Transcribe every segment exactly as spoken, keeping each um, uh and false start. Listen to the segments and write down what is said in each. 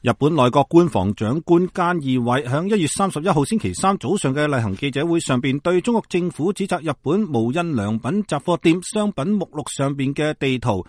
日本內閣官房長官菅義偉響一月三十一號星期三早上嘅例行記者會上邊，對中國政府指責日本無印良品雜貨店商品目錄上邊嘅地圖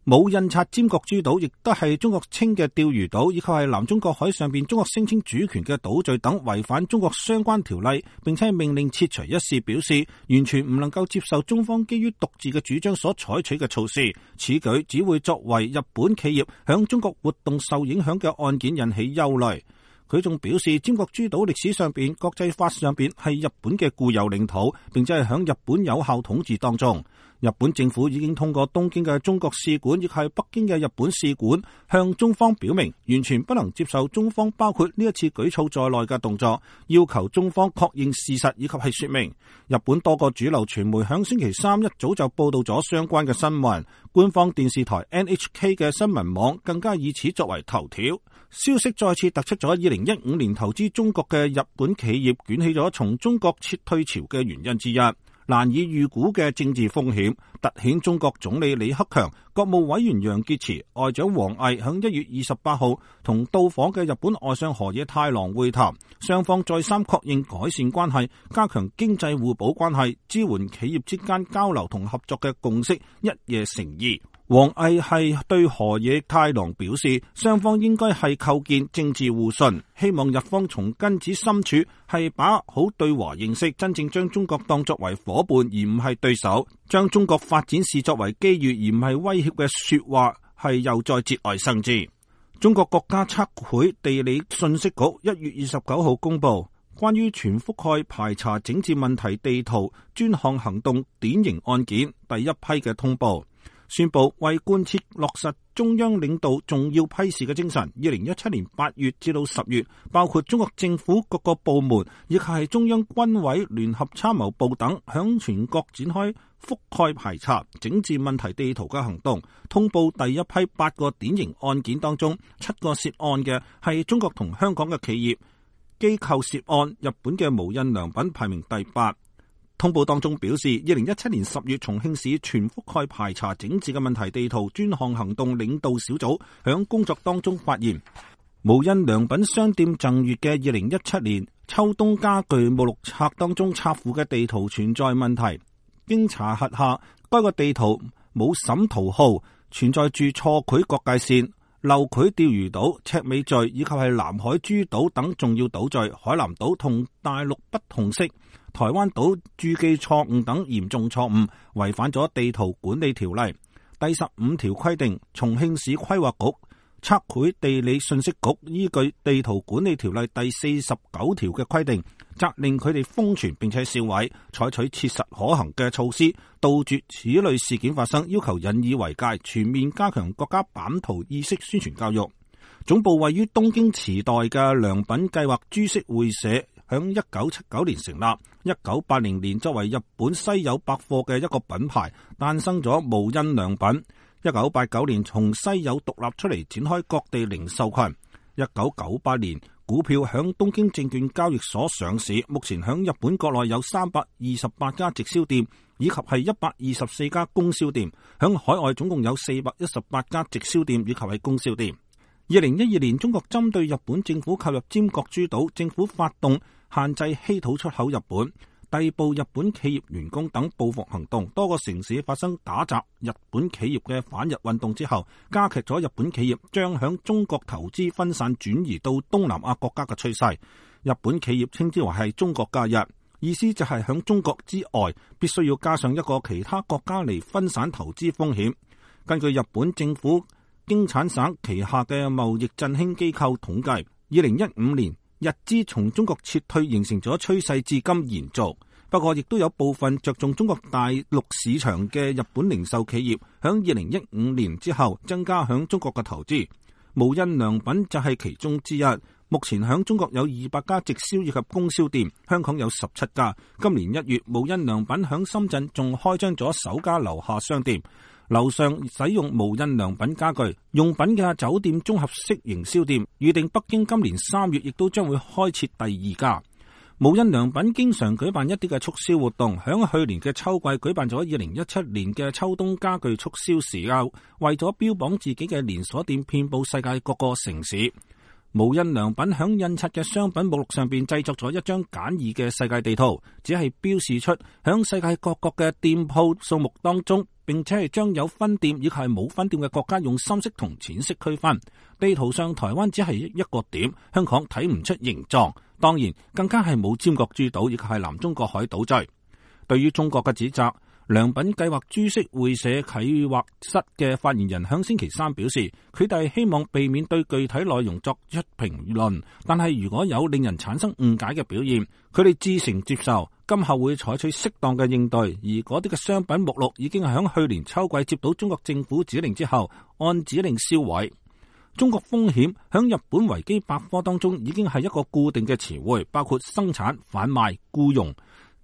冇印刷尖閣諸島，亦都係中國稱嘅釣魚島，以及係南中國海上邊中國聲稱主權嘅島嶼等違反中國相關條例，並且命令撤除一事，表示完全唔能夠接受中方基於獨自嘅主張所採取嘅措施。此舉只會作為日本企業響中國活動受影響嘅案件引起憂慮。佢仲表示，尖閣諸島歷史上邊、國際法上邊係日本嘅固有領土，並且係響日本有效統治當中。日本政府已經通過東京嘅中國使館，亦係北京嘅日本使館，向中方表明完全不能接受中方包括呢一次舉措在內嘅動作，要求中方確認事實以及係說明。日本多個主流傳媒響星期三一早就報道咗相關嘅新聞，官方電視台 N H K 嘅新聞網更加以此作為頭條。消息再次突出咗二零一五年投資中國嘅日本企業捲起咗從中國撤退潮嘅原因之一。難以預估嘅政治風險，凸顯中國總理李克強、國務委員楊潔篪、外長王毅響一月二十八號同到訪嘅日本外相河野太郎會談，雙方再三確認改善關係、加強經濟互補關係、支援企業之間交流同合作嘅共識一夜成義。王毅係對河野太郎表示，雙方應該係構建政治互信，希望日方從根子深處係把握好對華認識，真正將中國當作為夥伴而唔係對手，將中國發展視作為機遇而唔係威脅嘅說話係又再節外生枝。中國國家測繪地理信息局一月二十九號公布關於全覆蓋排查整治問題地圖專項行動典型案件第一批嘅通報，宣布為貫徹落實中央領導重要批示嘅精神，二零一七年八月至到十月，包括中國政府各個部門以及係中央軍委聯合參謀部等，響全國展開覆蓋排查整治問題地圖嘅行動。通報第一批八個典型案件當中，七個涉案嘅係中國同香港嘅企業機構涉案，日本嘅無印良品排名第八。通報當中表示，二零一七年十月，重慶市全覆蓋排查整治嘅問題地圖專項行動領導小組響工作當中發現，無印良品商店贈閱嘅二零一七年秋冬家具目錄冊當中插附嘅地圖存在問題。經查核下，該個地圖冇審圖號，存在住錯繪國界線、漏繪釣魚島、赤尾嶼以及係南海諸島等重要島嶼，海南島同大陸不同色，台灣島注記錯誤等嚴重錯誤，違反咗地圖管理條例。第十五條規定，重慶市規劃局、測繪地理信息局依據地圖管理條例第四十九條嘅規定，責令佢哋封存並且銷毀，採取切實可行嘅措施，杜絕此類事件發生，要求引以為戒，全面加強國家版圖意識宣傳教育。總部位於東京池袋嘅良品計劃株式會社響一九七九年成立，一九八零年作為日本西友百貨嘅一個品牌，誕生咗無印良品。一九八九年從西友獨立出嚟，展開各地零售群。一九九八年股票響東京證券交易所上市，目前響日本國內有三百二十八家直銷店，以及係一百二十四家供銷店，響海外總共有四百一十八家直銷店以及係供銷店。二零一二年，中國針對日本政府購入尖閣諸島，政府發動限制稀土出口日本，逮捕日本企業員工等報復行動，多個城市發生打砸日本企業嘅反日運動之後，加劇咗日本企業將響中國投資分散轉移到東南亞國家嘅趨勢。日本企業稱之為係中國假日，意思就係響中國之外必須要加上一個其他國家嚟分散投資風險。根據日本政府經產省旗下嘅貿易振興機構統計，二零一五年日資從中國撤退形成咗趨勢，至今延續。不過亦都有部分着重中國大陸市場嘅日本零售企業響二零一五年之後增加響中國嘅投資，無印良品就係其中之一。目前響中國有二百家直銷以及供銷店，香港有十七家。今年一月，無印良品響深圳仲開張咗首家樓下商店，樓上使用無印良品家具用品嘅酒店綜合式營銷店，預定北京今年三月亦都將會開設第二家。無印良品經常舉辦一啲嘅促銷活動，響去年嘅秋季舉辦咗二零一七年嘅秋冬家具促銷時候，為咗標榜自己嘅連鎖店遍佈世界各個城市，無印良品響印刷嘅商品目錄上邊製作咗一張簡易嘅世界地圖，只係標示出響世界各國嘅店鋪數目當中，並且係將有分店以及係冇分店嘅國家用深色同淺色區分。地圖上台灣只係一個點，香港睇唔出形狀，當然更加係冇尖閣諸島以及係南中國海島嶼。對於中國嘅指責，良品計劃株式會社企劃室嘅發言人響星期三表示，佢哋希望避免對具體內容作出評論，但係如果有令人產生誤解嘅表現，佢哋自誠接受，今後會採取適當嘅應對。而嗰啲嘅商品目錄已經係響去年秋季接到中國政府指令之後，按指令銷毀。中國風險響日本維基百科當中已經係一個固定嘅詞彙，包括生產、販賣、僱傭、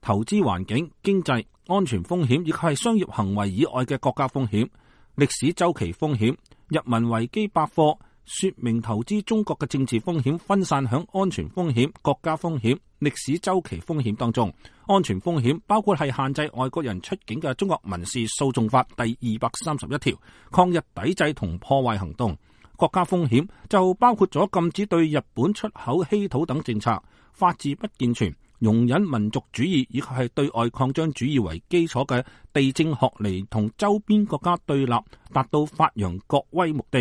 投資環境、經濟、安全風險，以及係商業行為以外嘅國家風險、歷史周期風險。日文維基百科說明投資中國嘅政治風險分散響安全風險、國家風險、歷史周期風險當中。安全風險包括係限制外國人出境嘅中國民事訴訟法第二百三十一條，抗日抵制同破壞行動。國家風險就包括咗禁止對日本出口稀土等政策，法治不健全，容忍民族主義以及係對外擴張主義為基礎嘅地政學嚟同周邊國家對立，達到發揚國威目的。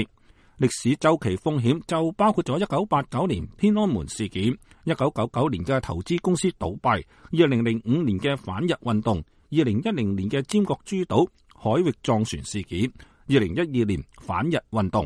歷史周期風險就包括咗一九八九年天安門事件、一九九九年嘅投資公司倒閉、二零零五年嘅反日運動、二零一零年嘅尖閣諸島海域撞船事件、二零一二年反日運動。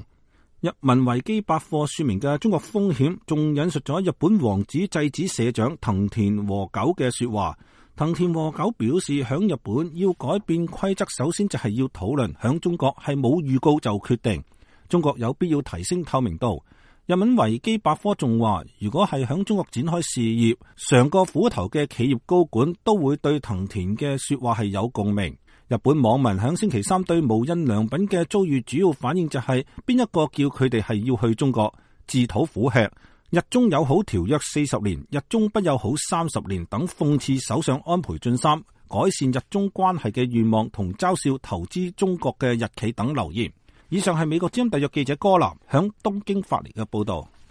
日文維基百科說明嘅中國風險，仲引述咗日本王子製紙社長藤田和久嘅說話。藤田和久表示，響日本要改變規則，首先就係要討論，響中國係冇預告就決定。中國有必要提升透明度。日文維基百科仲話，如果係響中國展開事業，嘗過苦頭嘅企業高管都會對藤田嘅說話係有共鳴。日本網民響星期三對無印良品嘅遭遇主要反應就係、是、邊一個叫佢哋係要去中國自討苦吃，日中友好條約四十年，日中不友好三十年等諷刺首相安倍晉三改善日中關係嘅願望同嘲笑投資中國嘅日企等留言。以上係美國之音特約記者柯南響東京發嚟嘅報道。